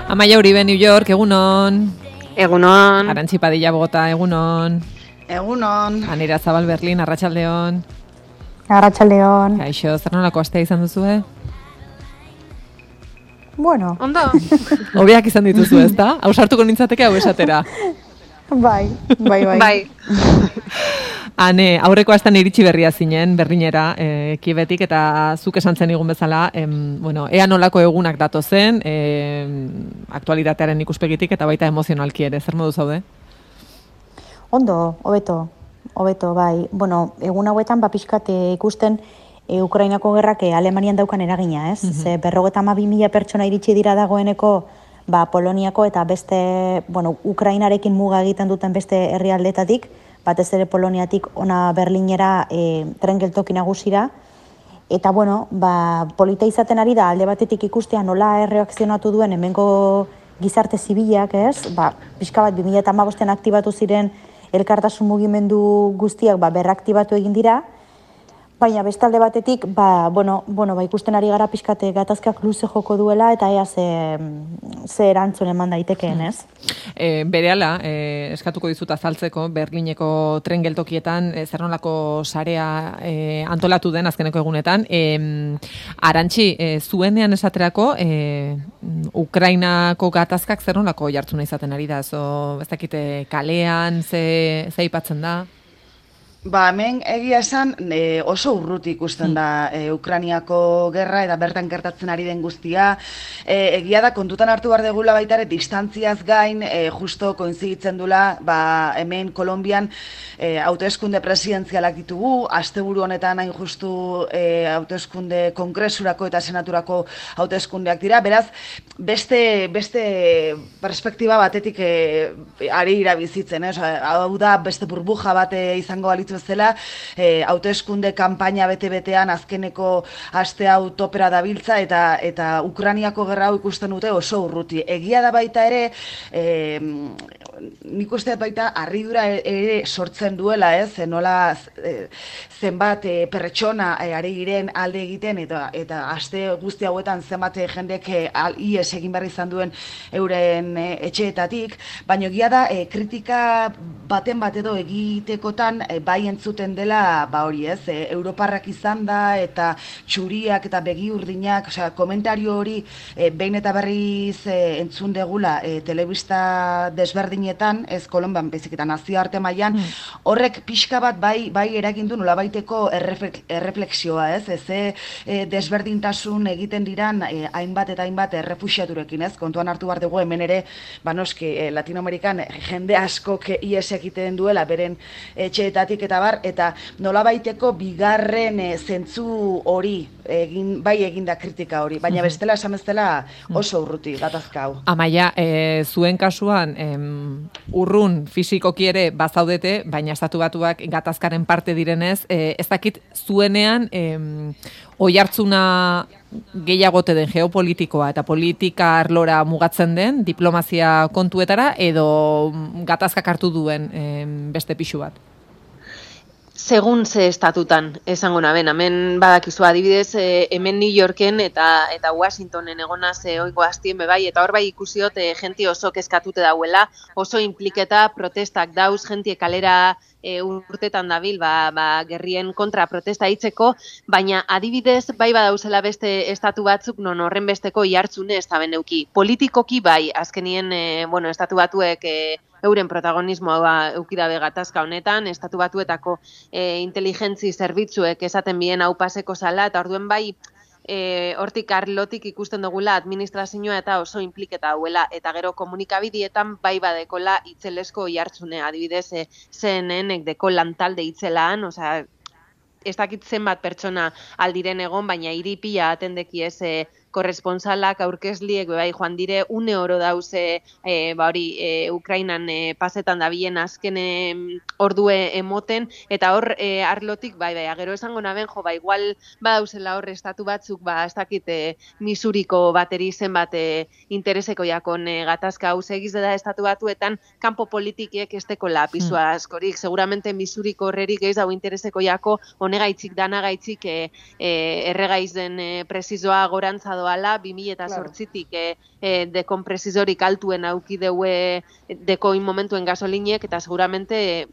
Amaia Uribe, New York, egunon. Egunon. Arantxi Padilla, Bogota, egunon. Egunon. Anira Zabal, Berlin, arratsaldeon. Arratsaldeon. Kaixo, zer nolako astea izan duzu, Bueno. Ondo. Hobeak izan dituzu, ezta? Ausartuko nintzateke hau esatera. Bai. Bai. Ane, aurreko astean iritsi berria zinen, Berlinera, Kiebetik, eta zuk esan zen igun bezala, ea nolako egunak datozen, aktualitatearen ikuspegitik, eta baita emozionalki ere, zer modu zaude? Ondo, hobeto, bai. Bueno, egun hauetan, pixkat ikusten Ukrainako gerrak Alemanian daukan eragina, ez? Ze 52.000 pertsona iritsi dira dagoeneko, Poloniako eta beste, Ukrainarekin muga egiten duten beste herrialdetatik, batez ere Poloniatik ona Berlinera tren geltoki nagusira. Eta, polita izaten ari da alde batetik ikustea nola erreakzionatu duen hemengo gizarte zibilak, ez? Pixka bat 2015 aktibatu ziren elkartasun mugimendu guztiak berraktibatu egin dira. Baina bestalde batetik, ikusten ari gara pixkate gatazkak luze joko duela eta ea ze erantzun eman daitekeen, ez? Berehala, eskatuko dizut azaltzeko, Berlineko tren geltokietan, zer nolako sarea antolatu den azkeneko egunetan. Arantxi, zuenean esaterako, Ukrainako gatazkak zer nolako jartzuna izaten ari da? Ez dakite kalean, ze aipatzen da? Hemen egia esan oso urruti ikusten da Ukrainiako gerra eta bertan gertatzen ari den guztia. Egia da kontutan hartu behar degula baita ere distantziaz gain justo koinziditzen dula hemen Kolonbian hauteskunde presidenzialak ditugu, asteburu honetan hain justu hauteskunde kongresurako eta senaturako hauteskundeak dira. Beraz, beste perspektiba batetik ari irabizitzen, hau da beste burbuja bat izango balitzu bezala, hauteskunde kanpaina bete-betean azkeneko aste hau topera dabiltza eta Ukrainiako gerra hau ikusten dute oso urruti. Egia da baita ere, nik uste baita harridura ere sortzen duela, nola zenbat pertsona ari giren alde egiten eta aste guzti hauetan zenbat jendek ihes egin behar izan duen euren etxeetatik, baina egia da kritika baten bat edo egitekotan bai entzuten dela hori, Europarrak izan da eta txuriak eta begi urdinak, komentario hori behin eta berriz entzun degula telebista desberdinetan, ez Kolonbian baizik eta nazioarte mailan, horrek pixka bat bai eragin du nolabaiteko erreflexioa, desberdintasun egiten diran hainbat eta hainbat errefuxiaturekin, kontuan hartu behar dugu hemen ere, noski Latinoamerikan jende askok ihes egiten duela beren etxeetatik eta nolabaiteko bigarren zentzu hori egin da kritika hori, baina bestela esan bezala oso urruti gatazka hau. Amaia, zuen kasuan urrun fisikoki ere bazaudete, baina Estatu Batuak gatazkaren parte direnez, ez dakit zuenean oihartzuna gehiagote den geopolitikoa eta politika arlora mugatzen den diplomazia kontuetara edo gatazkak hartu duen beste pixu bat? Segun ze estatutan, esango naben, hemen badakizu adibidez, hemen New Yorken eta Washingtonen egonaz oiko hastien bebai, eta hor bai ikusiot jenti oso kezkatute dauela, oso impliketa protestak dauz, jenti kalera urtetan dabil, gerrien kontra protesta hitzeko, baina adibidez bai badauzela beste estatu batzuk non horren besteko ihartzune ez da beneuki. Politikoki bai, azkenien, estatu batuek euren protagonismoa eukidabe gatazka honetan, Estatu Batuetako inteligentzi zerbitzuek esaten bien hau paseko zala, eta orduen bai hortik arlotik ikusten dugula administrazioa eta oso impliketa dauela, eta gero komunikabidietan bai badekola itzelesko jartzune, adibidez CNN-ek deko lantalde itzelaan, ez dakit zenbat pertsona aldiren egon, baina iripia atendeki ez korresponsalak aurkezliek bai joan dire une oro dauze Ukrainan pasetan dabilen azken ordue emoten, eta hor arlotik bai, gero esango naben igual badauzela hor estatu batzuk ez dakit Missouriko bateri zenbat intereseko jakon gatazka hau segiz da Estatu Batuetan kanpo politikiek esteko lapizua askorik, seguramente Missouriko horrerik gehiz hau intereseko jako honegaitik danagaitzik erregaizen presizoa gorantza doala, 2008tik dekompresizorik altuen auki deue dekoin momentuen gasolinek, eta seguramente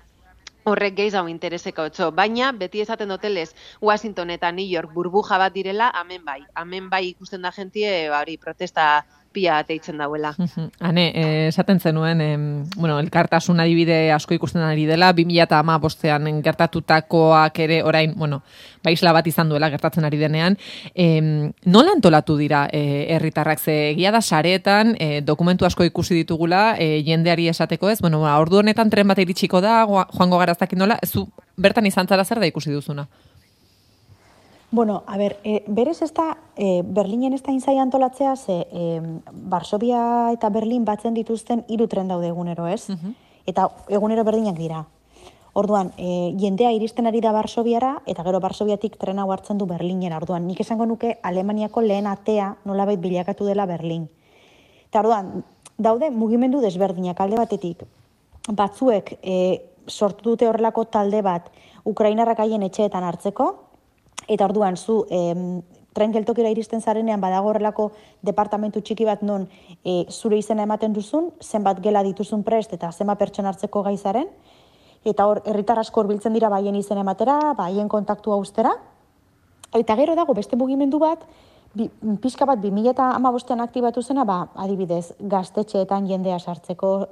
horrek gehiz hau intereseko otxo. Baina, beti esaten dotelez, Washington eta New York burbuja bat direla, hemen bai ikusten da jentie, hori protesta pia bat eitzen dauela. Hane, esaten zenuen, elkartasun adibide asko ikusten ari dela, 2015an gertatutakoak ere orain, isla bat izan duela gertatzen ari denean. Nola antolatu dira herritarrak? Ze egia da sareetan dokumentu asko ikusi ditugula, jendeari esateko ez, ordu honetan tren bat iritsiko da, joango gara zakin nola, zu bertan izan zara zer da ikusi duzuna? Bueno, a ber, berez ez da, Berlinen ez da inzai antolatzea, ze Varsovia eta Berlin batzen dituzten 3 tren daude egunero, ez? Eta egunero berdinak dira. Orduan, jendea iristen ari da Varsoviara, eta gero Varsoviatik tren hau hartzen du Berlinera. Orduan, nik esango nuke Alemaniako lehen atea nolabait bilakatu dela Berlin. Eta orduan, daude mugimendu desberdinak alde batetik. Batzuek sortu dute horrelako talde bat Ukrainarrak haien etxeetan hartzeko, eta orduan zu tren geltokira iristen zarenean badago horrelako departamentu txiki bat non zure izena ematen duzun, zenbat gela dituzun prest eta zenbat pertsona hartzeko gai zaren, eta hor herritar asko hurbiltzen dira baien izena ematera, baien kontaktua ustera. Eta gero dago beste mugimendu bat, pixka bat 2015an aktibatu zena, adibidez, gaztetxeetan jendea sartzeko,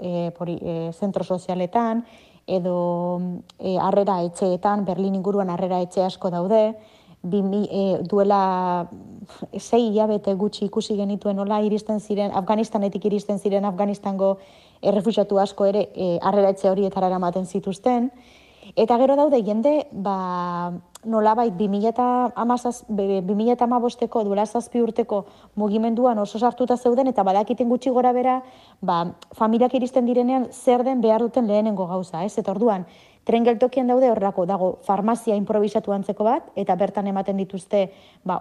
zentro sozialetan, edo harrera etxeetan, Berlin inguruan harrera etxe asko daude, duela 6 hilabete gutxi ikusi genituen nola iristen ziren, Afganistanetik iristen ziren Afganistango errefuxiatu asko ere harrera etxe horietara eramaten zituzten. Eta gero daude jende, nolabait 2015eko duela 7 urteko mugimenduan oso sartuta zeuden, eta badakiten gutxi gora bera, familiak iristen direnean zer den behar duten lehenengo gauza, ez? Eta orduan, tren geltokian daude horrelako, dago farmazia improvisatu antzeko bat, eta bertan ematen dituzte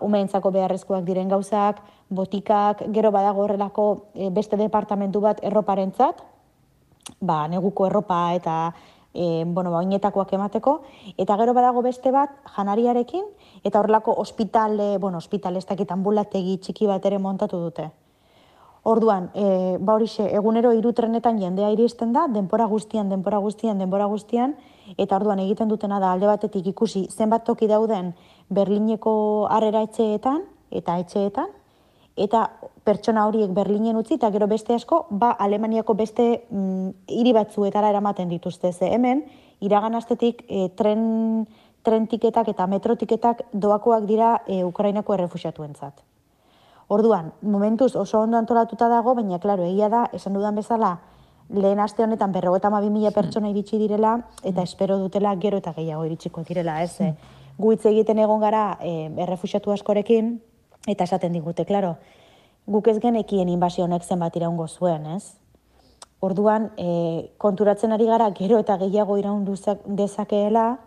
umeentzako beharrezkoak diren gauzak, botikak, gero badago horrelako beste departamentu bat erroparentzat, neguko erropa eta oinetakoak emateko, eta gero badago beste bat janariarekin, eta horrelako ospitale ez dakit ambulategi txiki bat ere montatu dute. Orduan, horixe, egunero 3 trenetan jendea iristen da, denbora guztian, eta orduan egiten dutena da alde batetik ikusi zenbat toki dauden Berlineko harrera etxeetan, eta pertsona horiek Berlinen utzi, eta gero beste asko, Alemaniako beste hiri batzuetara eramaten dituzte. Ze hemen, iragan astetik tren tiketak eta metro tiketak doakoak dira Ukrainako errefuxiatuentzat. Orduan, momentuz oso ondo antolatuta dago, baina, klaro, egia da, esan dudan bezala, lehen aste honetan 52.000 pertsona iritsi direla, eta espero dutela gero eta gehiago iritsiko direla, ez? Gu hitz egiten egon gara errefuxiatu askorekin, eta esaten digute, klaro, guk ez genekien inbasio honek zenbat iraungo zuen, ez? Orduan, konturatzen ari gara gero eta gehiago iraun dezakeela,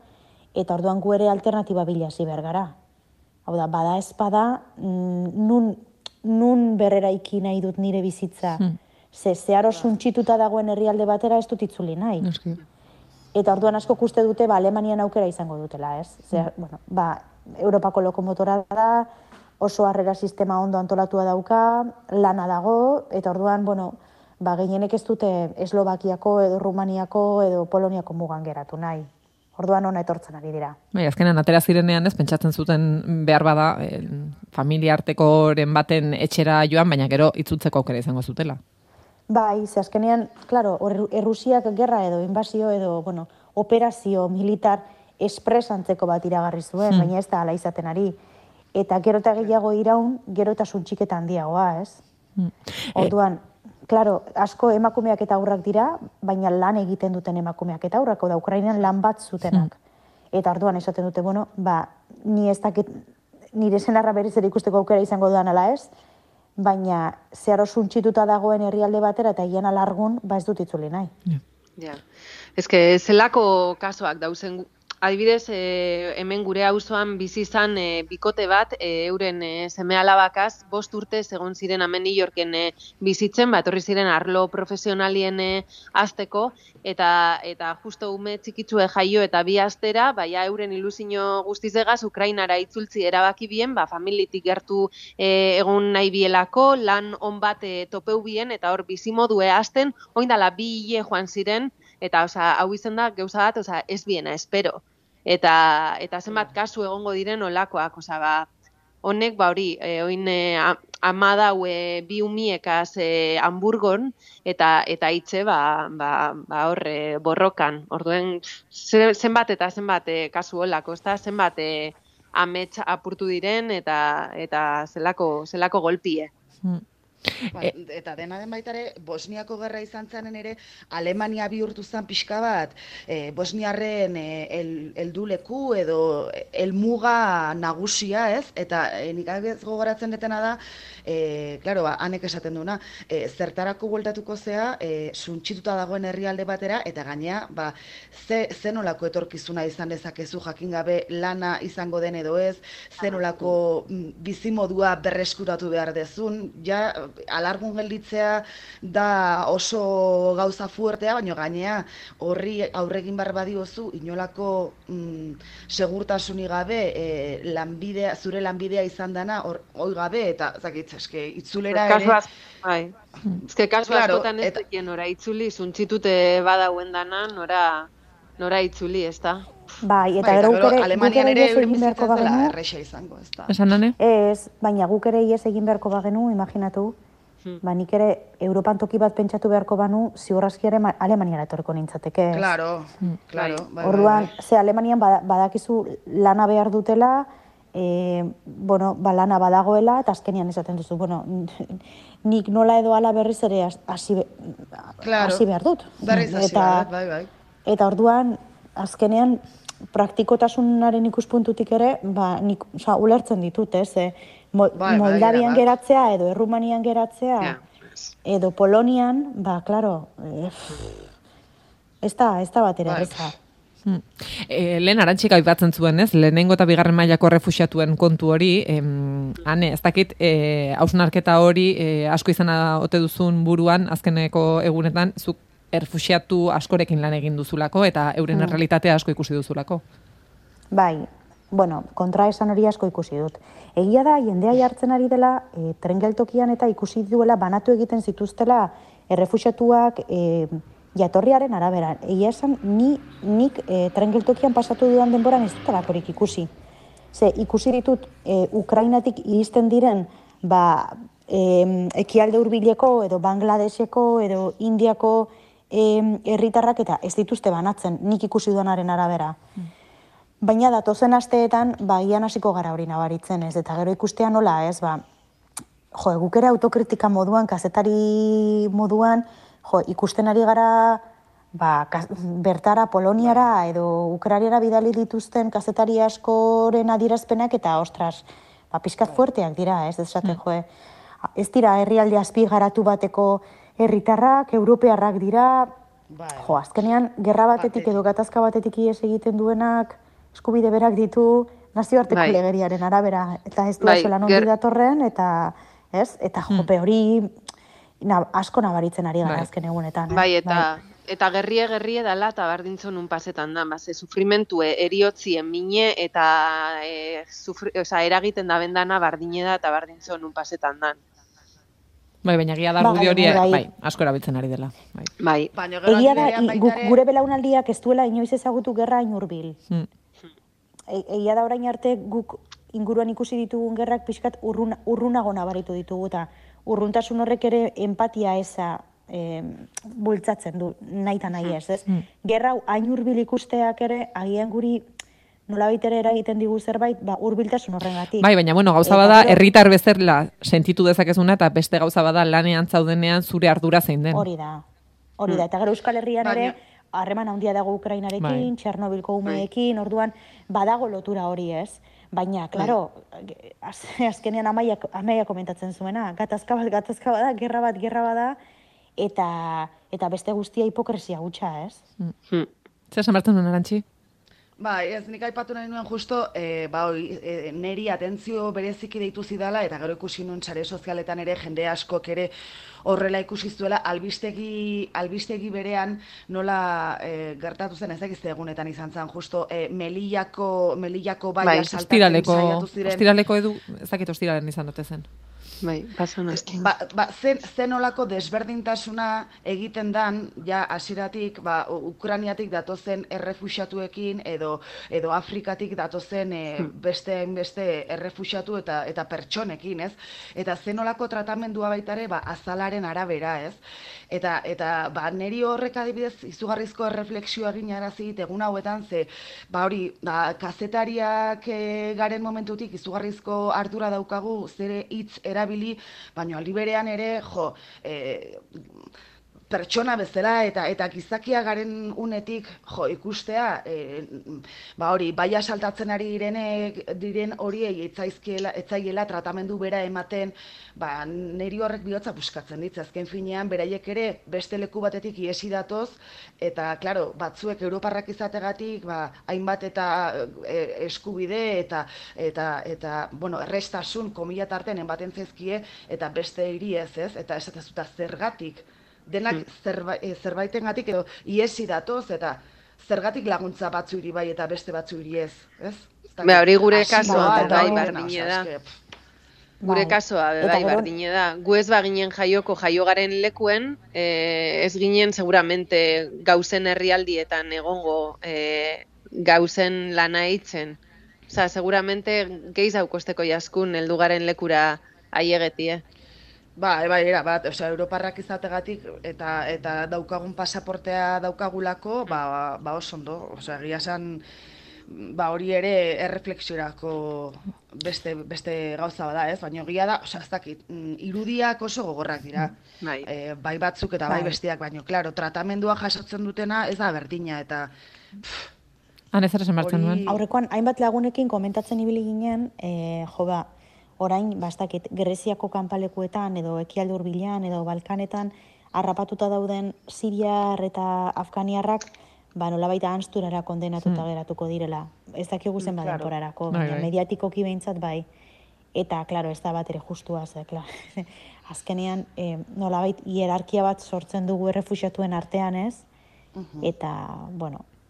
eta orduan gu ere alternatiba bilasi behar gara. Hau da, bada espada, nun berreraiki nahi dut nire bizitza. Zeharo suntxituta dagoen herrialde batera ez dut itzuli nahi. Eta orduan asko uste dute Alemanian aukera izango dutela, ez? Europako lokomotora da, oso harrera sistema ondo antolatua dauka, lana dago, eta orduan, gehienek ez dute Eslovakiako edo Rumaniako edo Poloniako mugan geratu nahi. Orduan ona etortzen ari dira. Azkenan atera zirenean ez, pentsatzen zuten behar bada familia artekoren baten etxera joan, baina gero itzultzeko aukera izango zutela. Ze azkenean, klaro, Errusiak gerra edo inbasio edo, operazio militar espresantzeko bat iragarri zuen, baina ez da ala izaten ari. Eta gero eta gehiago iraun, gero eta suntxiketa handiagoa, ez? Orduan, klaro, asko emakumeak eta aurrak dira, baina lan egiten duten emakumeak eta aurrak, da Ukrainan lan bat zutenak. Eta orduan esaten dute, ni ez dakit nire senarra berriz ere ikusteko aukera izango dudan ala ez, baina zeharo suntxituta dagoen herrialde batera eta hien alargun, ez dut itzuli nahi. Ja. Ez que zelako kasuak dauzen adibidez, hemen gure auzoan bizi izan bikote bat, euren seme-alabakaz 5 urte egon ziren hemen New Yorken bizitzen, etorri ziren arlo profesionalien hasteko, eta justo ume txikitzue jaio eta 2 astera, euren ilusio guztizegaz Ukrainara itzultzi erabaki bien, familitik gertu egon nahi bielako, lan on bat topeu bien, eta hor bizimodue hasten, oindala 2 hile joan ziren, eta hau izen da gauza bat, ez biena, espero. Eta zenbat kasu egongo diren olakoak, honek hori, oin ama dau 2 umiekaz Hamburgon, eta itxe hor borrokan. Orduen zenbat eta zenbat kasu olako, zenbat amets apurtu diren eta zelako golpie. Eta dena den baitare, Bosniako gerra izan zanen ere, Alemania bihurtu zen pixka bat, Bosniarren helduleku edo helmuga nagusia, ez? Eta nik gogoratzen detena da, claro, hanek esaten duna, zertarako bueltatuko zea, suntxituta dagoen herrialde batera, eta gainea, zenolako etorkizuna izan dezakezu jakin gabe lana izango den edo ez, zenolako bizimodua berreskuratu behar dezun, ja, alargun gelditzea da oso gauza fuertea, baina gainea horri aurregin behar badiozu inolako segurtasunik gabe zure lanbidea izan dana hoi gabe, eta eske itzulera ere... Bai, eske kasu askotan ez dekien ora itzuli, zuntxitute badauen dana, nora itzuli, ez da? Bai, eta gero guk ere Alemanian ere egin beharko bagenu. Erresa izango, ez da. Esan nane? Ez, baina guk ere ies egin beharko bagenu, imaginatu, nik ere Europan toki bat pentsatu beharko banu, ziurraski ere Alemaniara etorriko nintzateke. Claro. Orduan, Alemanian badakizu lana behar dutela, lana badagoela, eta azkenian esaten duzu, nik nola edo ala berriz ere hasi behar dut. Berriz hasi behar dut, bai. Eta orduan, azkenean, praktikotasunaren ikuspuntutik ere, nik ulertzen ditut, ez? Moldavian geratzea, edo Errumanian geratzea, edo Polonian, klaro, ez da batera, ez da. Lehen Arantxik aipatzen zuen, ez? Lehenengo eta bigarren mailako errefuxiatuen kontu hori, ez dakit, hausnarketa hori asko izana ote duzun buruan, azkeneko egunetan, zuk errefuxiatu askorekin lan egin duzulako, eta euren errealitatea asko ikusi duzulako. Bai, kontra esan hori asko ikusi dut. Egia da, jendea jartzen ari dela, tren geltokian eta ikusi duela banatu egiten zituztela errefuxiatuak jatorriaren arabera. Egia esan, nik tren geltokian pasatu dudan denboran ez dutelakorik ikusi. Ikusi ditut Ukrainatik iristen diren, ekialde hurbileko, edo Bangladeseko, edo Indiako herritarrak eta ez dituzte banatzen, nik ikusi duanaren arabera. Baina datozen asteetan, ian hasiko gara hori nabaritzen, ez? Eta gero ikustea nola, ez? Guk ere autokritika moduan, kazetari moduan, ikusten ari gara bertara, Poloniara edo Ukrainara bidali dituzten kazetari askoren adierazpenak eta, ostras, pixkat fuerteak dira, ez? Ez dira herrialde azpigaratu bateko herritarrak, europearrak dira, azkenean, gerra batetik edo gatazka batetik ies egiten duenak, eskubide berak ditu nazioarteko legeriaren arabera, eta ez duazu lan ondi datorren, eta jope hori asko nabaritzen ari gara azken egunetan. Eta gerrie dela, eta bardintzon un pasetan da, sufrimentue eriotzien mine, eta eragiten da bendana bardine da, eta bardintzon un pasetan da. Baina egia da argudio hori, asko erabiltzen ari dela. Egia da, gure belaunaldiak ez duela inoiz ezagutu gerra hain hurbil. Egia da orain arte guk inguruan ikusi ditugun gerrak pixkat urrunago nabaritu ditugu, eta urruntasun horrek ere empatia eza bultzatzen du, nahi eta nahi ez. Gerra hain hurbil ikusteak ere, agian guri nolabait ere eragiten digu zerbait, hurbiltasun horrengatik. Baina, gauza bada, herritar bezala sentitu dezakezuna, eta beste gauza bada lanean zaudenean zure ardura zein den. Hori da. Eta gero Euskal Herrian ere, harreman handia dago Ukrainarekin, Txernobilko umeekin, orduan badago lotura hori, ez? Baina, klaro, azkenean amaia komentatzen zuena, gatazka bada, gerra bada, eta beste guztia hipokresia gutxa, ez? Zer esan bertzen duen, Arantxi? Ba, ez nik aipatu nahi nuen justo, neri atentzio bereziki deitu zidala, eta gero ikusi nuen sare sozialetan ere, jende askok ere horrela ikusi zuela, albistegi berean nola gertatu zen, ez dakiz egunetan izan zen, justo Melillako baia saltatzen saiatu ziren. Ostiraleko edu, ez dakit ostiralen izan dute zen. Bai, pasan azken. Zen olako desberdintasuna egiten dan, ja, hasieratik, Ukraniatik datozen errefuxiatuekin, edo Afrikatik datozen beste errefuxiatu eta pertsonekin, ez? Eta zen olako tratamendua baitare, azalaren arabera, ez? Eta neri horrek adibidez izugarrizko erreflexioa ginarazi egun hauetan, ze, kazetariak garen momentutik izugarrizko ardura daukagu zere hitz erabili, baina aldi berean ere, pertsona bezala eta gizakia garen unetik ikustea, baia saltatzen ari diren horiei etzaiela tratamendu bera ematen, neri horrek bihotza buskatzen ditz. Azken finean, beraiek ere beste leku batetik iesi datoz, eta, klaro, batzuek europarrak izategatik, hainbat eta eskubide eta errestasun komila tarten enbaten zaizkie, eta beste hiri ez, eta esatezuta zergatik, denak zerbaitengatik edo iesi datoz, eta zergatik laguntza batzuiri bai eta beste batzuiri ez, ez? Hori gure kasoa bai berdine da. Gure kasoa bai berdine da. Gu ez baginen jaio garen lekuen, ez ginen seguramente gauzen herrialdietan egongo gauzen lana hitzen. Osa, seguramente geiz haukosteko jaskun heldu garen lekura aiegetie. Erabat, europarrak izategatik eta daukagun pasaportea daukagulako, oso ondo, egia esan, hori ere erreflexiorako beste gauza bada, ez? Baina egia da, ez dakit, irudiak oso gogorrak dira, bai batzuk eta bai besteak, baina, klaro, tratamendua jasotzen dutena ez da berdina, eta... Han ez esan martzen duen. Aurrekoan, hainbat lagunekin komentatzen ibili ginen, orain, bastakit, Greziako kanpalekuetan, edo Ekialde Hurbilean, edo Balkanetan, harrapatuta dauden Siriar eta Afganiarrak, nolabait ahansturara kondenatuta geratuko direla. Ez dakigu zenbat denporarako, baina mediatikoki behintzat bai. Eta, klaro, ez da bat ere justua, azkenean, nolabait hierarkia bat sortzen dugu errefuxiatuen artean, ez? Eta,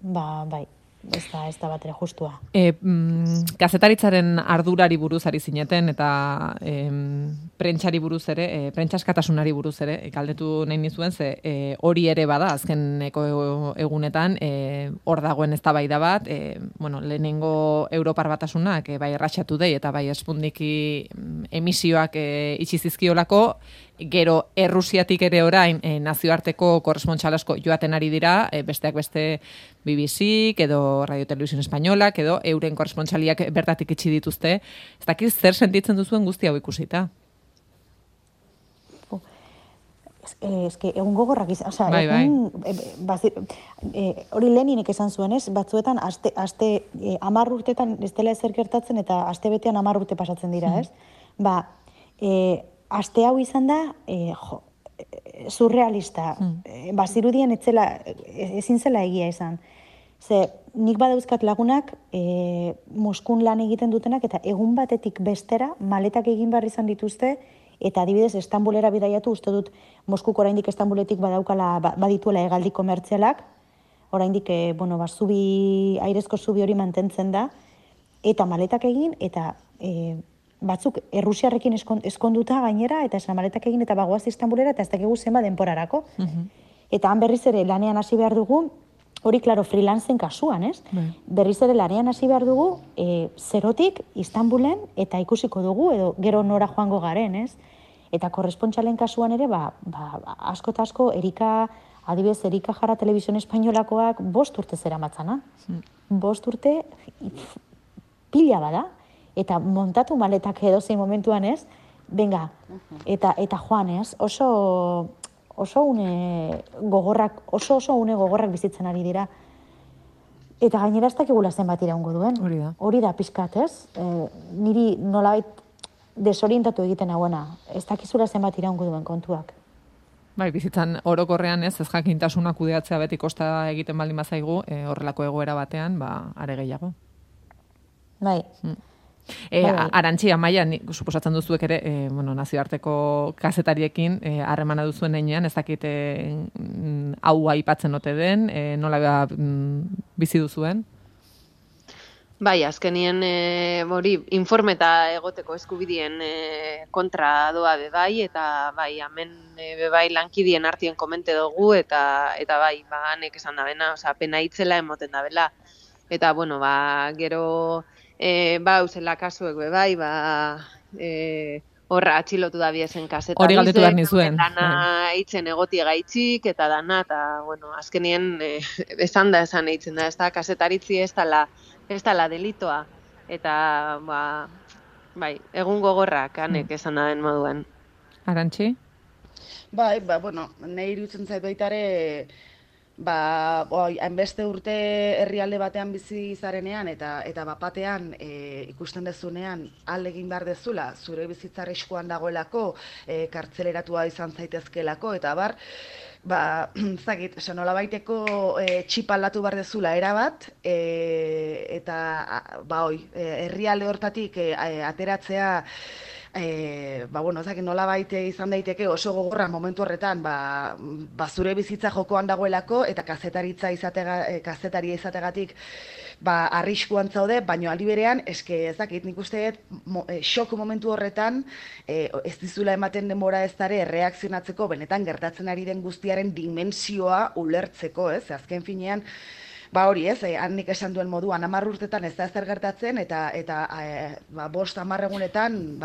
bai. Ez da bat ere justua. Kazetaritzaren ardurari buruz ari zineten eta prentsari buruz ere, prentsaskatasunari buruz ere, galdetu nahi nizuen, ze hori ere bada azkeneko egunetan, hor dagoen eztabaida bat, lehenengo Europar Batasunak bai erratxatu dei eta bai Sputniki emisioak itxi zizkiolako, gero Errusiatik ere orain nazioarteko korrespontxal asko joaten ari dira, besteak beste BBC, edo Radio Televisión Españolak, edo euren korrespontxaliak bertatik itxi dituzte. Ez dakiz zer sentitzen duzuen guzti hau ikusita? Egun gogorrak izan, hori Leninek esan zuen, ez? Batzuetan, aste 10 urtetan ez dela ezer gertatzen eta aste betean 10 urte pasatzen dira, ez? Aste hau izan da, surrealista. Bazirudien ezin zela egia izan. Nik badauzkat lagunak Moskun lan egiten dutenak eta egun batetik bestera maletak egin behar izan dituzte eta adibidez Istanbulera bidaiatu, uste dut Moskuko oraindik Istanbuletik badituela hegaldi komertzialak, oraindik airezko zubi hori mantentzen da, eta maletak egin eta batzuk Errusiarrekin eskonduta gainera, eta esan maletak egin eta bagoaz Istanbulera, eta ez dakigu zenba denporarako. Eta han berriz ere lanean hasi behar dugu, hori, klaro, freelancen kasuan, ez? Berriz ere lanean hasi behar dugu, zerotik Istanbulen, eta ikusiko dugu, edo gero nora joango garen, ez? Eta korrespontxalen kasuan ere, asko eta asko, adibidez, Erika Jara Televisión Espainolakoak 5 urte zera matzana. 5 urte pila bada. Eta montatu maletak edo zein momentuan, ez? Benga, eta joan, ez? Oso une gogorrak bizitzen ari dira. Eta gainera ez dakigula zenbat iraungo duen. Hori da pixkat, ez? Niri nolabait desorientatu egiten hauena. Ez dakizula zenbat iraungo duen kontuak. Bai, bizitzan orokorrean ez jakintasuna kudeatzea beti kosta egiten baldin bazaigu, horrelako egoera batean, are gehiago. Bai. Arantxi, Amaia, suposatzen duzuek ere, nazioarteko kazetariekin harremana duzuen heinean, ez dakit hau aipatzen ote den, nola bizi duzuen? Bai, azkenien informeta egoteko eskubidien kontra doa bebai, eta bai, hemen bebai lankidien artien komente dugu, eta bai, hanek esan da bena, pena hitzela emoten da bela. Eta, gero, usela kasuek bebai, horra atxilotu da biezen kasetarizen. Hori galdetu behar nizuen. Dana hitzen egotie gaitzik, eta dana, eta, azkenien esan eitzen da, ez da, kasetaritzi ez dela delitoa, eta, bai, egun gogorrak hanek esan da den moduan. Arantxi? Bai, nahi iruditzen zait baitare, hainbeste urte herrialde batean bizi zarenean eta bapatean ikusten dezunean alde egin behar dezula, zure bizitza arriskuan dagoelako, kartzeleratua izan zaitezkelako, eta nola baiteko txip aldatu behar dezula erabat, eta herrialde hortatik ateratzea, nola baite izan daiteke oso gogorra momentu horretan, zure bizitza jokoan dagoelako, eta kazetaria izategatik arriskuan zaude, baina aldi berean, nik uste xok momentu horretan, ez dizula ematen denbora ez dare erreakzionatzeko, benetan gertatzen ari den guztiaren dimensioa ulertzeko, ez? Azken finean, hori ez, handik esan duen moduan, 10 urtetan ez da ezer gertatzen, eta 5-10 egunetan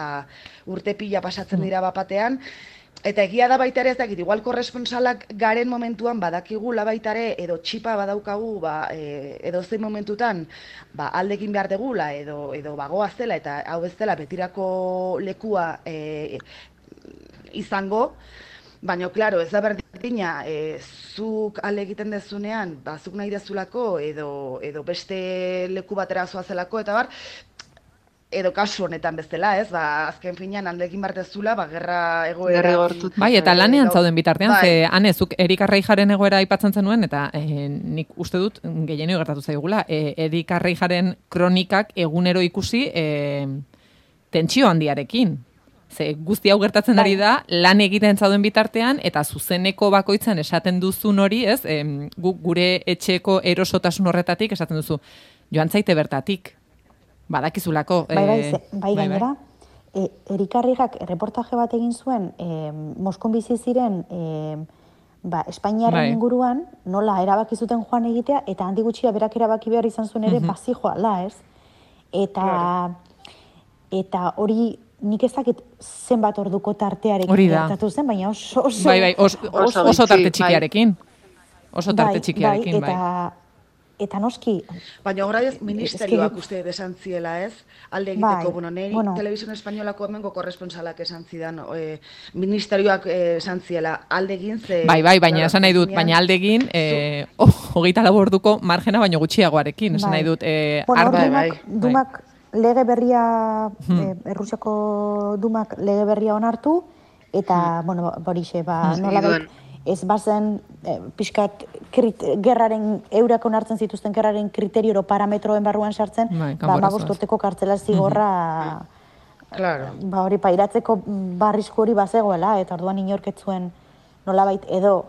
urte pila pasatzen dira bapatean, eta egia da baita ere ez dakit, igual korresponsalak garen momentuan badakigula baita ere, edo txipa badaukagu, edo zein momentutan, aldekin behar degula, edo bagoaz dela, eta hau ez dela betirako lekua izango, baina, klaro, ez da berdina, zuk alde egiten dezunean, zuk nahi dezulako, edo beste leku batera zoazelako, eta edo kasu honetan bezala, ez? Azken finean alde egin behar dezula, gerra egoera... Bai, eta lanean zauden bitartean, ze, Ane, zuk Erik Arreijaren egoera aipatzen zenuen, eta nik uste dut gehienio gertatu zaigula, Erik Arreijaren kronikak egunero ikusi tentsio handiarekin. Ze guzti hau gertatzen ari da, lan egiten zauden bitartean, eta zuzeneko bakoitzan esaten duzun hori, ez? Gure etxeko erosotasun horretatik esaten duzu, joan zaite bertatik, badakizulako. Bai, gainera, Erik Arreijak reportaje bat egin zuen, Moskon bizi ziren, Espainiaren inguruan, nola erabaki zuten joan egitea, eta handi gutxira berak erabaki behar izan zuen ere, bazijoala, ez? Eta hori, nik ez dakit zenbat orduko tartearekin gertatu zen, baina oso tarte txikiarekin. Oso tarte txikiarekin, bai. Eta noski... Baina horra ez, ministerioak uste esan ziela, ez? Alde egiteko, niri Televisión Espainolako hemengo korresponsalak esan zidan, ministerioak esan ziela, alde egin ze... Bai, baina esan nahi dut, baina alde egin, 24 orduko margena baino gutxiagoarekin, esan nahi dut... Dumak lege berria, Errusiako Dumak lege berria onartu, eta, borixe, nola ez bazen pixkat gerraren, eurak onartzen zituzten gerraren kriterioro parametroen barruan sartzen, 15 urteko kartzela zigorra hori pairatzeko barrizko hori bazegoela, eta orduan inorketzuen nolabait edo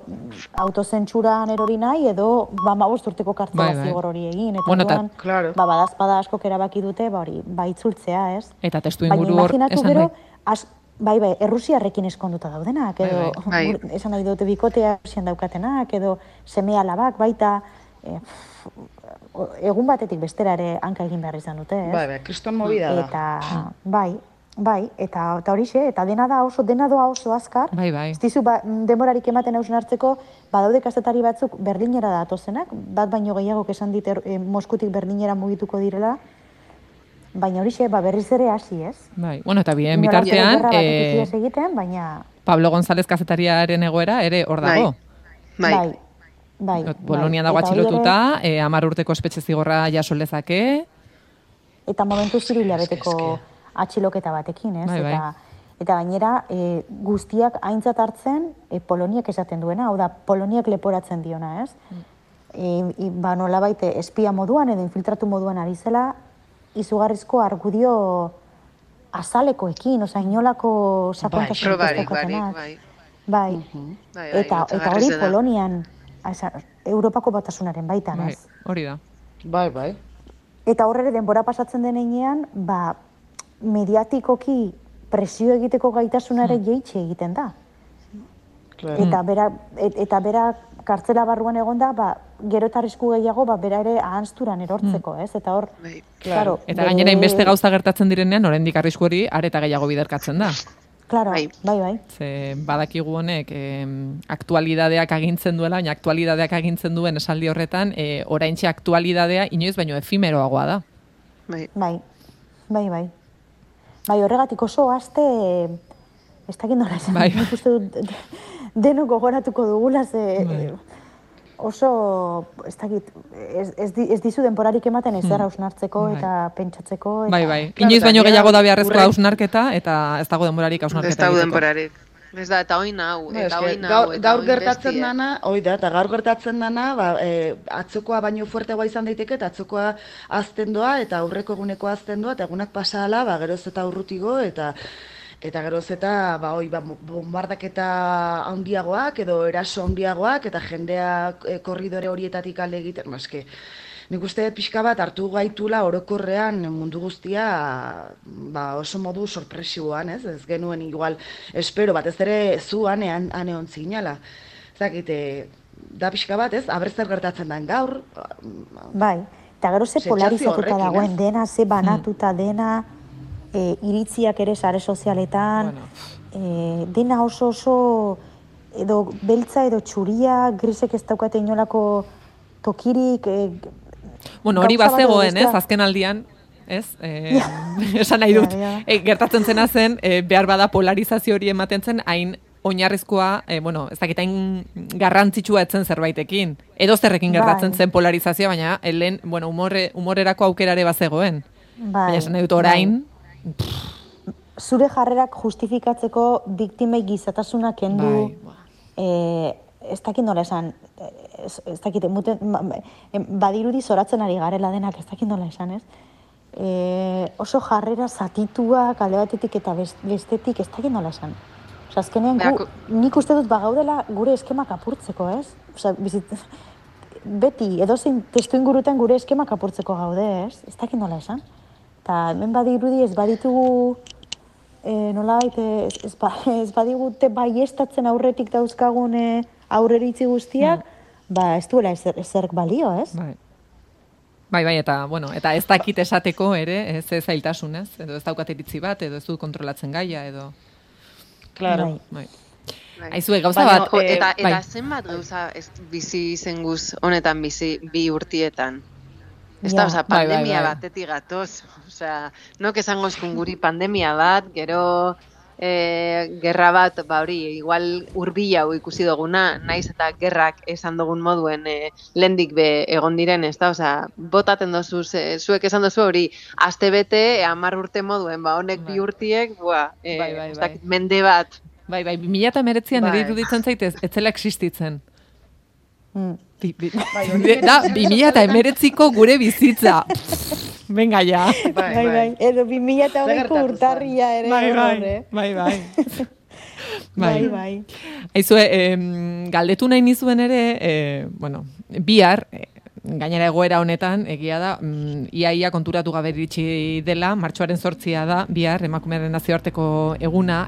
autozentsuran erori nahi, edo 15 urteko kartzela zigor hori egin, eta orduan badazpada askok erabaki dute, itzultzea, ez? Eta testu inguru hor esan nahi. Bai, Errusiarrekin eskonduta daudenak, edo esan nahi dute bikotea Errusian daukatenak, edo seme alabak, baita egun batetik bestera ere hanka egin behar izan dute, ez? Bai, kriston movida da. Eta, bai, eta horixe, eta dena doa oso azkar. Bai. Ez dizu, demorarik ematen hausen hartzeko, badaude kazetari batzuk Berlinera datozenak, bat baino gehiagok esan dit Moskutik Berlinera mugituko direla, baina horixe, berriz ere hasi, ez? Bai, eta bien bitartean... baina... Pablo González kazetariaren egoera ere hor dago. Bai. Bolonian dago atxilotuta, 10 urteko espetxe zigorra jaso lezake. Eta momentu zirila beteko atxiloketa batekin, ez? Eta gainera, guztiak aintzat hartzen Poloniak esaten duena, hau da, Poloniak leporatzen diona, ez? Ba, nolabait, espia moduan edo infiltratu moduan ari zela, izugarrizko argudio azalekoekin, oza, inolako sakontasun daukatenak. Bai. Eta hori Polonian, Europako Batasunaren baitan, ez? Hori da. Bai. Eta horre denbora pasatzen denean, ba, mediatikoki presio egiteko gaitasunare jeitxe egiten da. Eta bera kartzela barruan egonda, ba, gero eta arrisku gehiago, ba, bera ere ahanzturan erortzeko, ez? Eta hor, claro. Eta gainera inbeste gauza gertatzen direnean, oraindik arrisku hori areta gehiago biderkatzen da. Claro, bai. Ze badakigu honek aktualidadeak agintzen duela, baina aktualidadeak agintzen duen esaldi horretan, oraintxe aktualidadea inoiz baino efimeroagoa da. Bai, horregatik oso aste, ez dakit nola esan, nik uste dut denok gogoratuko dugula, oso, ez dakit, ez dizu denporarik ematen ezer hausnartzeko eta pentsatzeko. Bai. Inoiz baino gehiago da beharrezko hausnarketa eta ez dago denporarik hausnarketa egiteko. Ez dago denporarik. Ez da, eta hoi nau. Gaur gertatzen dana, gaur gertatzen dana, atzokoa baino fuerteagoa izan daiteke, eta atzokoa azten doa, eta aurreko eguneko azten doa, eta egunak pasahala, geroz eta urrutigo, eta geroz eta bombardaketa handiagoak, edo eraso handiagoak, eta jendea korridore horietatik alde egiten, eske, nik uste pixka bat hartu gaitula orokorrean mundu guztia oso modu sorpresiboan, ez genuen igual espero batez ere zu ane ontzinala. Zakite, da pixka bat, ez, abertzer gertatzen den gaur. Bai, eta gero ze polarizatuta dagoen dena, ze banatuta dena, iritziak ere sare sozialetan, dena oso edo beltza edo txuria, grisek ez daukate inolako tokirik, bueno, hori bazegoen, ez, azken aldian, ez? Esan nahi dut, gertatzen zena zen, behar bada polarizazio hori ematen zen, hain oinarrizkoa, ez dakit, hain garrantzitsua etzen zerbaitekin. Edo zerrekin gertatzen zen polarizazioa, baina, lehen, humorerako aukerare bazegoen. Baina esan nahi dut orain. Zure jarrerak justifikatzeko biktimei gizatasuna kendu, ez dakit nola esan, ez dakit, badirudi zoratzen ari garela denak, ez dakit nola esan, ez? Oso jarrera zatituak alde batetik eta bestetik, ez dakit nola esan. Osa, azkenean, nik uste dut bagaudela gure eskemak apurtzeko, ez? Osa, beti, edozein testu ingurutan gure eskemak apurtzeko gaude, ez? Ez dakit nola esan. Eta hemen badirudi ez baditugu, nolabait, ez badigute baiestatzen aurretik dauzkagun aurreritzi guztiak, ez duela ezerk balio, ez? Bai, eta ez dakit esateko ere, ez zailtasunez, edo ez daukat iritzi bat, edo ez du kontrolatzen gaia, edo... Claro. Aizue, gauza bat... Eta zenbat gauza bizi zen guz honetan bizi bi urtietan? Ez da, pandemia batetik gatoz. Nok esango eskun guri pandemia bat, gero gerra bat, hori, igual hurbilau ikusi duguna, naiz eta gerrak esan dugun moduen lehendik be egon diren, ez da, botaten dozu, zuek esan dozu hori, aste bete, 10 urte moduen, honek bi urtiek, ez dakit, mende bat. Bai, 2019an ere iruditzen zaitez, ez zela existitzen. Da, 2019ko gure bizitza. Venga, ja. Bai. Edo 2008ko urtarria ere. Bai. Aizue, galdetu nahi nizuen ere, bihar, gainera egoera honetan, egia da, iaia konturatu gabe iritsi dela, martxoaren 8 da, bihar, emakumearen nazioarteko eguna,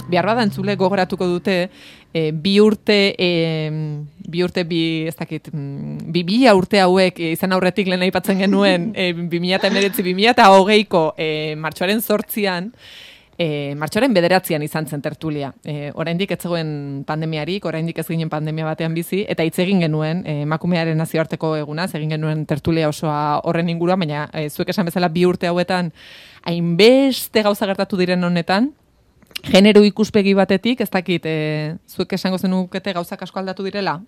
bihar bada entzule gogoratuko dute, bi urte, ez dakit, 2000 urte hauek izan aurretik lehen aipatzen genuen 2019-2020ko martxoaren 8an, martxoaren 9an izan zen tertulia. Oraindik ez zegoen pandemiarik, oraindik ez ginen pandemia batean bizi, eta hitz egin genuen emakumearen nazioarteko egunaz, egin genuen tertulia osoa horren inguruan, baina zuek esan bezala 2 urte hauetan hainbeste gauza gertatu diren honetan, genero ikuspegi batetik, ez dakit, zuek esango zenukete gauzak asko aldatu direla?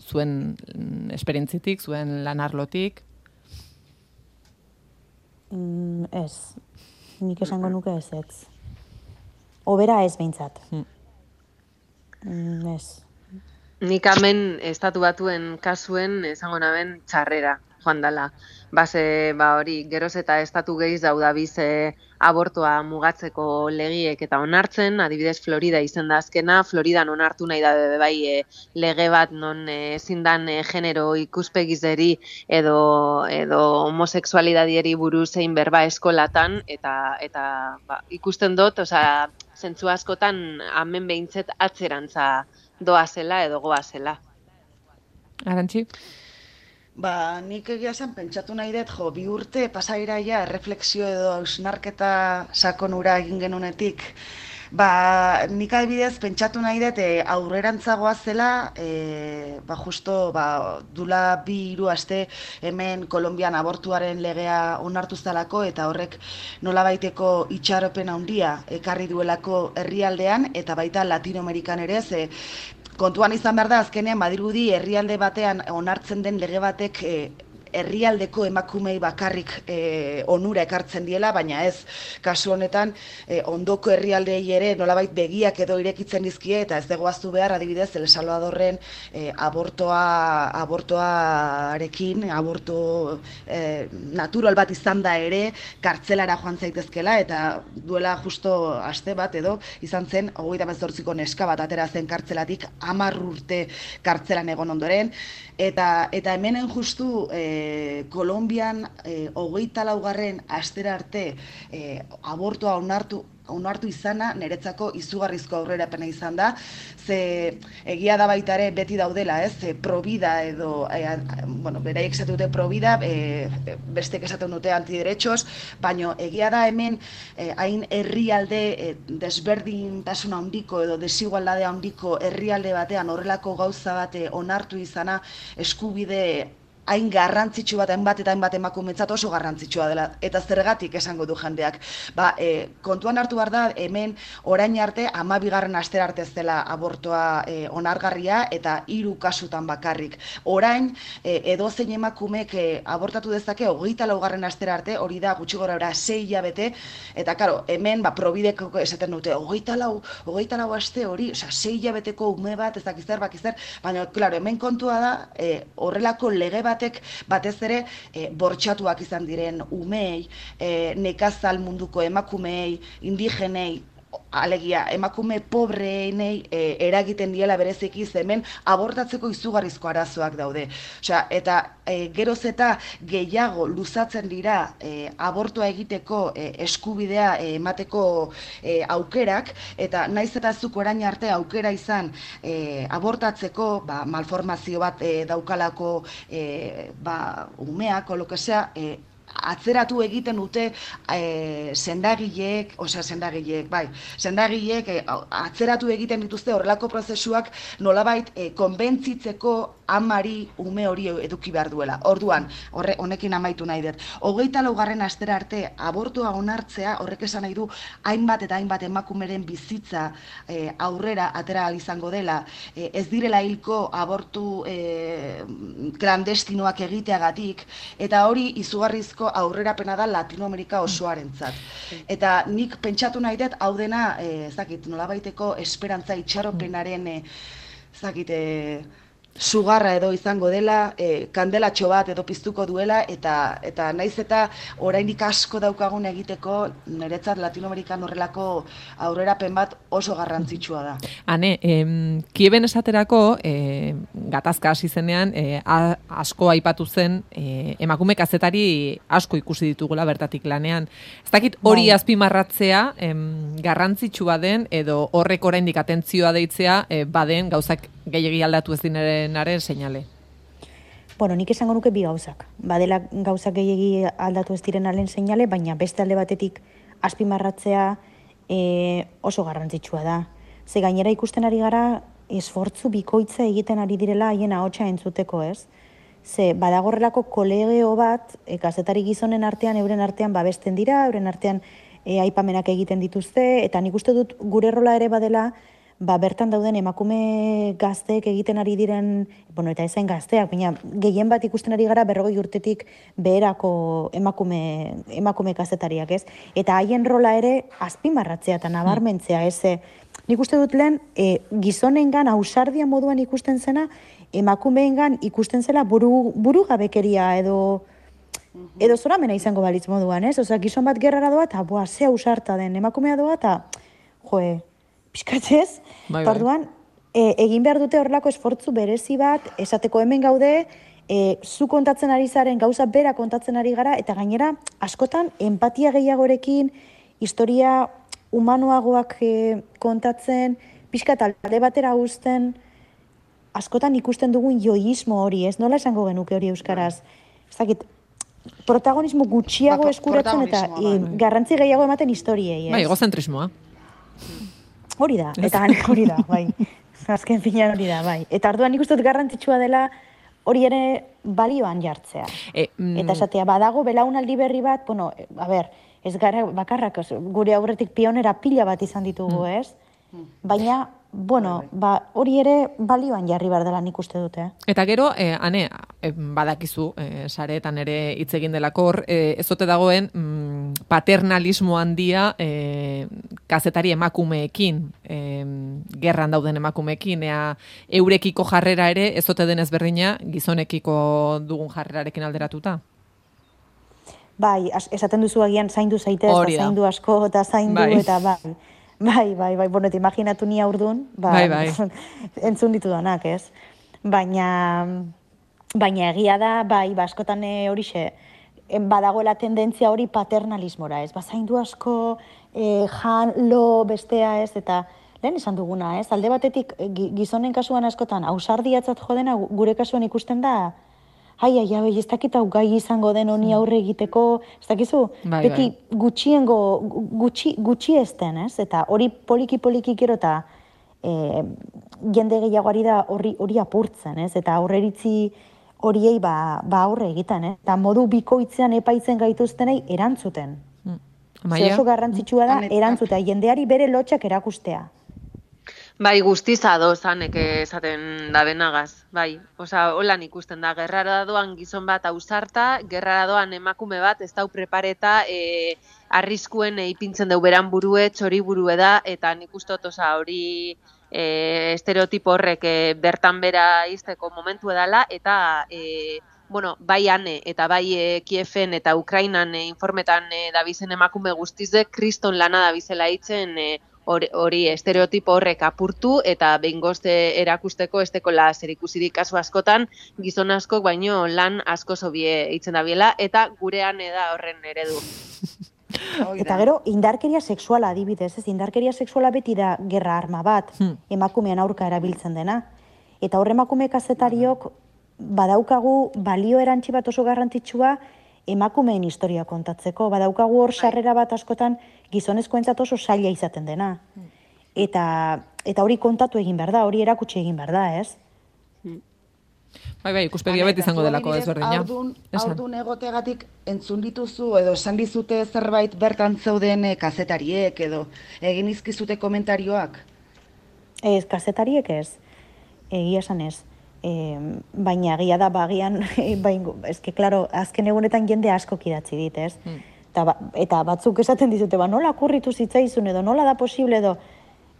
Zuen esperientzitik, zuen lanarlotik? Ez. Nik esango nuke ez. Obera ez behintzat. Ez. Nik hemen estatu batuen kasuen esango naben txarrera joan dala. Base, hori, geroz eta estatu gehiz daudabiz abortoa mugatzeko legiek eta onartzen, adibidez Florida izen da azkena, Floridan onartu nahi da bai lege bat non ezin dan genero ikuspegizeri edo homosexualidadieri buruz zein berba eskolatan, eta ikusten dut, zentzu askotan hemen behintzet atzerantza doazela edo goazela. Arantxi? Nik egia zen pentsatu nahi dut, bi urte pasairaia erreflexio edo hausnarketa sakonura egin genunetik. Nik adibidez pentsatu nahi dut aurrerantzagoa zela, justo dula 2-3 aste hemen Kolonbian abortuaren legea onartu zalako, eta horrek nolabaiteko itxaropen handia ekarri duelako herrialdean, eta baita Latinoamerikan ere, kontuan izan behar da, azkenean badirudi herrialde batean onartzen den lege batek herrialdeko emakumei bakarrik onura ekartzen diela, baina ez, kasu honetan ondoko herrialdei ere nolabait begiak edo irekitzen dizkie, eta ez degoaztu behar adibidez El Salvadorren abortoarekin, aborto natural bat izan da ere, kartzelara joan zaitezkela, eta duela justo aste bat edo izan zen 38ko neska bat atera zen kartzelatik 10 urte kartzelan egon ondoren, eta hemenen justu Kolonbian 24. astera arte abortua onartu izana niretzako izugarrizko aurrerapena izan da, ze egia da baita ere beti daudela, provida edo, beraiek esatu dute provida, bestek esaten dute antiderechos, baina egia da hemen hain herrialde desberdintasun handiko edo desigualdade handiko herrialde batean horrelako gauza bate onartu izana eskubide hain garrantzitsu bat, hainbat eta hainbat emakumetzat oso garrantzitsua dela, eta zergatik esango du jendeak. Kontuan hartu behar da, hemen orain arte 12. astera arte ez dela abortoa onargarria, eta 3 kasutan bakarrik. Orain, edozein emakumek abortatu dezake 24. astera arte, hori da gutxi gorabehera 6 hilabete, eta karo, hemen probideko esaten dute, 24 aste hori, 6 hilabeteko ume bat, ezakizzer, baina, klaro, hemen kontua da, horrelako lege batek batez ere bortxatuak izan diren umeei, nekazal munduko emakumeei, indigenei, alegia, emakume pobreenei eragiten diela bereziki, hemen abortatzeko izugarrizko arazoak daude. Eta geroz eta gehiago luzatzen dira abortua egiteko eskubidea emateko aukerak, eta naiz eta zuk orain arte aukera izan abortatzeko, malformazio bat daukalako umeak, olokesea, atzeratu egiten dute sendagileek atzeratu egiten dituzte horrelako prozesuak nolabait konbentzitzeko amari ume hori eduki behar duela. Orduan, honekin amaitu nahi dut. 24. astera arte abortua onartzea horrek esan nahi du hainbat eta hainbat emakumeren bizitza aurrera atera izango dela, ez direla hilko abortu klandestinoak egiteagatik, eta hori izugarrizko aurrerapena da Latinoamerika osoarentzat. Eta nik pentsatu nahi dut hau dena, nolabaiteko esperantza itxaropenaren sugarra edo izango dela, kandelatxo bat edo piztuko duela, eta naiz eta oraindik asko daukagun egiteko, niretzat Latinoamerikan horrelako aurrerapen bat oso garrantzitsua da. Hane, Kieben esaterako, gatazka hasi zenean, asko aipatu zen, emakume kazetari asko ikusi ditugula bertatik lanean. Ez dakit hori azpimarratzea garrantzitsua den, edo horrek oraindik atentzioa deitzea, baden gauzak gehiegi aldatu ez direnaren seinale. Nik esango nuke bi gauzak. Badela gauzak gehiegi aldatu ez direnaren seinale, baina beste alde batetik azpimarratzea oso garrantzitsua da. Ze gainera ikusten ari gara esfortzu bikoitza egiten ari direla haien ahotsa entzuteko, ez? Ze badagorrelako kolegeo bat, kazetari gizonen artean, euren artean babesten dira, euren artean aipamenak egiten dituzte, eta nik uste dut gure rola ere badela, bertan dauden emakume gazteek egiten ari diren, bueno, eta ezen gazteak, baina gehien bat ikusten ari gara 40 urtetik beherako emakume kazetariak, ez? Eta haien rola ere azpimarratzea eta nabarmentzea, ez? Nik uste dut lehen, gizonengan ausardia moduan ikusten zena, emakumeengan ikusten zela burugabekeria edo zoramena izango balitz moduan, ez? Osa, gizon bat gerrara doa eta, ze ausarta den emakumea doa eta, pixkatzez, orduan, egin behar dute horrelako esfortzu berezi bat, esateko hemen gaude, zu kontatzen ari zaren, gauza bera kontatzen ari gara, eta gainera, askotan, empatia gehiagorekin, historia humanoagoak kontatzen, pixka talde batera uzten, askotan ikusten dugun joismo hori, ez? Nola esango genuke hori euskaraz? Ez dakit, protagonismo gutxiago eskuratzen eta garrantzi gehiago ematen historiei, ez? Bai, egozentrismoa. Hori da, eta hori da, bai. Azken finean hori da, bai. Eta orduan nik uste dut garrantzitsua dela hori ere balioan jartzea. Eta esatea, badago belaunaldi berri bat, bueno, ez gara bakarrak, gure aurretik pionera pila bat izan ditugu, ez? Baina, bueno, hori ere balioan jarri behar dela nik uste dute. Eta gero, Ane, badakizu, sareetan ere hitz egin delako hor, ez ote dagoen paternalismo handia kazetari emakumeekin, gerran dauden emakumeekin, eurekiko jarrera ere, ez ote denez berdina, gizonekiko dugun jarrerarekin alderatuta? Bai, esaten duzu agian zaindu zaitez, eta zaindu asko, eta zaindu, eta bai, bueno, eta imaginatu ni aurdun, entzun ditudanak, ez? Baina egia da, askotan horixe, badagoela tendentzia hori paternalismora, ez? Zaindu asko, lo, bestea, ez? Eta lehen esan duguna, ez? Alde batetik, gizonen kasuan askotan, ausardiatzat jodena, gure kasuan ikusten da, ez dakit hau gai izango den honi aurre egiteko, ez dakizu, beti gutxi ezten, ez? Eta hori poliki gero eta jende gehiagoari da hori apurtzen, ez? Eta aurreritzi horiei aurre egiten, ez? Eta modu bikoitzean epaitzen gaituztenei erantzuten. Oso garrantzitsua da erantzutea, jendeari bere lotxak erakustea. Bai, guztiz adozanek esaten da benagaz, bai. Osa, holan ikusten da, gerrara doan gizon bat ausarta, gerrara doan emakume bat, ez dau prepareta, arriskuen ipintzen deu beran burue, txori burue da, eta nik ustot, hori estereotipo horrek bertan bera izteko momentu edala, eta bai Ane, eta bai Kiefen eta Ukrainan informetan dabizen emakume guztizde, kriston lana dabizela hitzen, hori estereotipo horrek apurtu eta behingoz erakusteko estekola zerikusirik kasu askotan gizon askok baino lan asko zobie hitzen dabiela eta gurean da horren eredu. Eta gero, indarkeria sexuala adibidez, ez? Indarkeria sexuala beti da gerra arma bat, emakumean aurka erabiltzen dena. Eta horre emakume kazetariok badaukagu balio erantzi bat oso garrantzitsua emakumeen historia kontatzeko. Badaukagu hor sarrera bat askotan gizonezkoentzat oso zaila izaten dena. Eta hori kontatu egin behar da, hori erakutsi egin behar da, ez? Bai, ikuspegia beti izango delako ezberdina. Aurdun egoteagatik entzun dituzu edo esan dizute zerbait bertan zeuden kazetariek edo egin izkizute komentarioak? Ez, kazetariek ez. Egia esan ez. Baina egia da bagian, klaro, azken egunetan jende asko idatzi dit, ez? Eta batzuk esaten dizute, nola kurritu zitzaizun edo, nola da posible edo,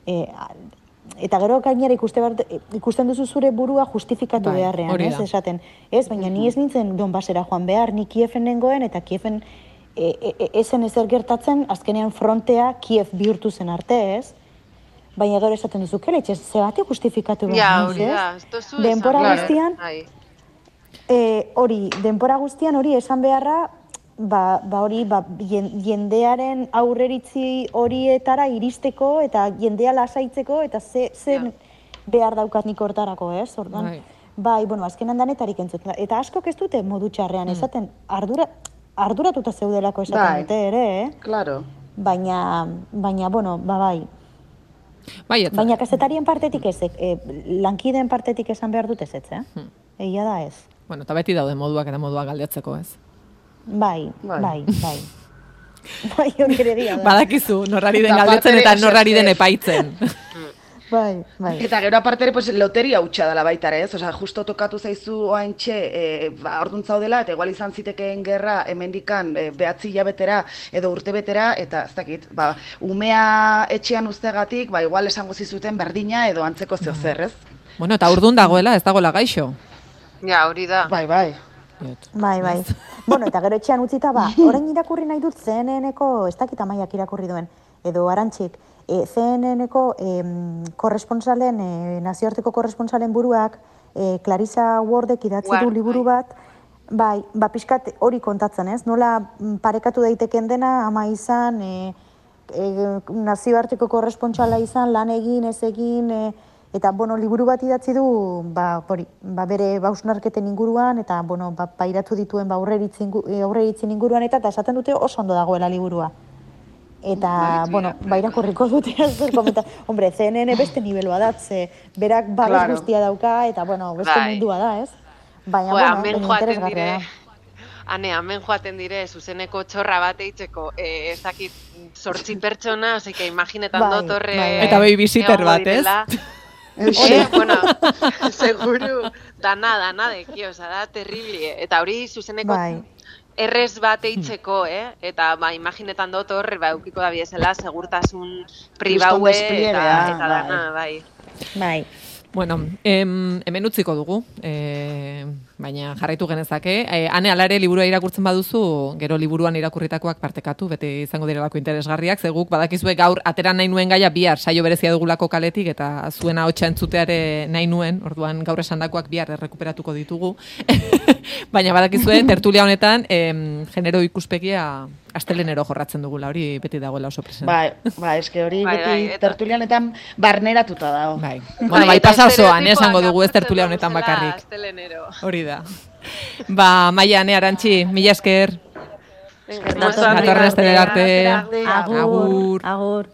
eta gero gainera ikusten duzu zure burua justifikatu beharrean, ez? Esaten, ez, baina ni ez nintzen Donbasera joan behar, ni Kiefen nengoen, eta Kiefen ezen ezer gertatzen, azkenean frontea Kiev bihurtu zen arte, ez? Baina gero esaten duzu, keletxe, zebate justifikatu behar, ez? Denpora guztian, denpora guztian hori esan beharra, jendearen aurreritzi horietara iristeko eta jendea lasaitzeko eta zen behar daukat nik hortarako, ez? Orduan, azkenan danetarik entzuten. Eta askok ez dute modu txarrean esaten, arduratuta zeudelako esaten dute ere, Claro. Baina, bai. Baina kazetarien partetik ez, lankideen partetik esan behar dut ez, egia da ez. Bueno, eta beti daude moduak eta moduak galdetzeko ez. Bai. Bai, hori ere egia da. Badakizu, norrari den galdetzen eta norrari den epaitzen. Bai. Eta gero aparte ere, pues, loteria hutsa dela baita ere, ez? Osea, justo tokatu zaizu oaintxe, orduan zaudela, eta igual izan zitekeen gerra hemendikan 9 hilabetera edo urtebetera, eta ez dakit, umea etxean uztegatik, igual esango zizuten berdina edo antzeko zeo zer, ez? Bueno, eta urdun dagoela, ez dagoela gaixo. Ja, hori da. Bai. Bueno, eta gero etxean utzita, orain irakurri nahi dut CNN-eko, ez dakit Amaiak irakurri duen, edo Arantxik, CNN-eko korresponsalen, nazioarteko korresponsalen buruak, Clarissa Wardek idatzi du liburu bat, pixkat hori kontatzen, ez? Nola parekatu daiteken dena, ama izan, nazioarteko korrespontsala izan, lan egin, ez egin, eta, liburu bat idatzi du, bere hausnarketen inguruan, eta, pairatu dituen aurreritzen inguruan, eta esaten dute oso ondo dagoela liburua. Eta, irakurriko dute zer komenta. Hombre, CNN beste nivelua da, berak babes guztia dauka, eta, beste mundua da, ez? Baina, interesgarria da. Hemen joaten dire, zuzeneko txorra bat eitzeko, ez dakit 8 pertsona, osea, imaginetan dut horre... Eta babysitter bat, ez? Bueno, seguru, dana deki, oza, da terribli, eta hori zuzeneko errez bat eitzeko, eta imaginetan dut horre, eukiko da biezela, segurtasun pribaue, eta dana, bai. Bueno, hemen utziko dugu, baina jarraitu genezake. Ane, alare liburua irakurtzen baduzu, gero liburuan irakurritakoak partekatu, beti izango direlako interesgarriak, zeguk badakizue gaur atera nahi nuen gaia bihar saio berezia dugulako kaletik, eta zuena hotxa entzuteare nahi nuen, orduan gaur esandakoak bihar errekuperatuko ditugu. Baina badakizue, tertulia honetan, genero ikuspegia astelenero jorratzen dugula, hori beti dagoela oso presente. Eske hori beti tertulianetan barneratuta dago. Bueno, pasa osoan, esango dugu ez tertulia honetan bakarrik. Hori da. Maia, Ane, Arantxi, mila esker. Datorren astelera arte. Agur.